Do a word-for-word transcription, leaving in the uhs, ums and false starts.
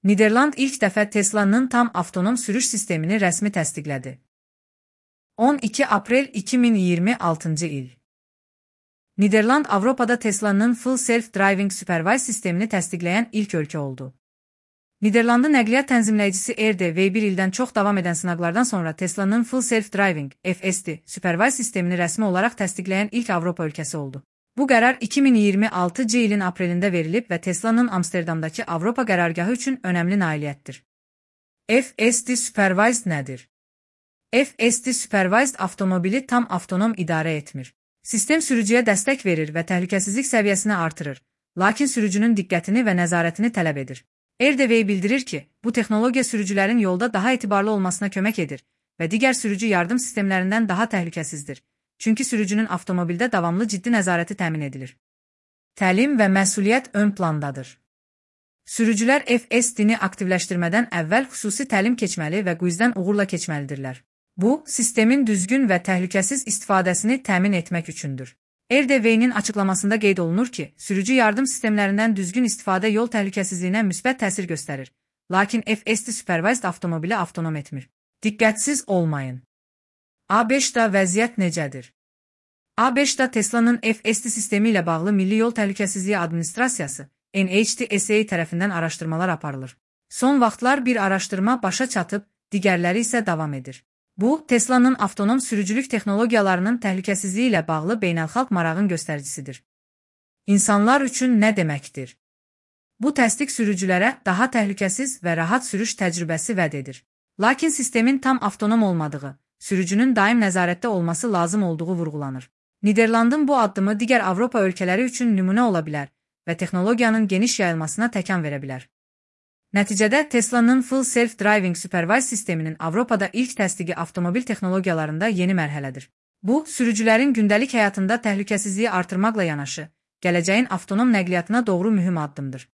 Niderland ilk dəfə Tesla'nın tam avtonom sürüş sistemini rəsmi təsdiqlədi. on iki aprel iki min iyirmi altıncı il. Niderland Avropada Tesla'nın Full Self-Driving Supervised sistemini təsdiqləyən ilk ölkə oldu. Niderlandın nəqliyyat tənzimləyicisi R D V bir ildən çox davam edən sınaqlardan sonra Tesla'nın Full Self-Driving F S D Supervised sistemini rəsmi olaraq təsdiqləyən ilk Avropa ölkəsi oldu. Bu qərar iki min iyirmi altıncı ilin aprelində verilib və Tesla'nın Amsterdamdakı Avropa qərargahı üçün önəmli nailiyyətdir. F S D Supervised nədir? F S D Supervised avtomobili tam avtonom idarə etmir. Sistem sürücüyə dəstək verir və təhlükəsizlik səviyyəsini artırır, lakin sürücünün diqqətini və nəzarətini tələb edir. R D V bildirir ki, bu texnologiya sürücülərin yolda daha etibarlı olmasına kömək edir və digər sürücü yardım sistemlərindən daha təhlükəsizdir. Çünki sürücünün avtomobildə davamlı ciddi nəzarəti təmin edilir. Təlim və məsuliyyət ön plandadır. Sürücülər F S D-ni aktivləşdirmədən əvvəl xüsusi təlim keçməli və quizdən uğurla keçməlidirlər. Bu, sistemin düzgün və təhlükəsiz istifadəsini təmin etmək üçündür. R D V-nin açıqlamasında qeyd olunur ki, sürücü yardım sistemlərindən düzgün istifadə yol təhlükəsizliyinə müsbət təsir göstərir, lakin F S D Supervised avtomobili avtonom etmir. Diqqətsiz olmayın. A beşdə vəziyyət necədir? A beşdə Tesla'nın F S D sistemi ilə bağlı Milli Yol Təhlükəsizliyi Administrasiyası N H T S A tərəfindən araşdırmalar aparılır. Son vaxtlar bir araşdırma başa çatıb, digərləri isə davam edir. Bu, Tesla'nın avtonom sürücülük texnologiyalarının təhlükəsizliyi ilə bağlı beynəlxalq marağın göstəricisidir. İnsanlar üçün nə deməkdir? Bu təsdiq sürücülərə daha təhlükəsiz və rahat sürüş təcrübəsi vəd edir. Lakin sistemin tam avtonom olmadığı, sürücünün daim nəzarətdə olması lazım olduğu vurğulanır. Niderlandın bu addımı digər Avropa ölkələri üçün nümunə ola bilər və texnologiyanın geniş yayılmasına təkan verə bilər. Nəticədə Tesla'nın Full Self-Driving Supervised sisteminin Avropada ilk təsdiqi avtomobil texnologiyalarında yeni mərhələdir. Bu, sürücülərin gündəlik həyatında təhlükəsizliyi artırmaqla yanaşı, gələcəyin avtonom nəqliyyatına doğru mühüm addımdır.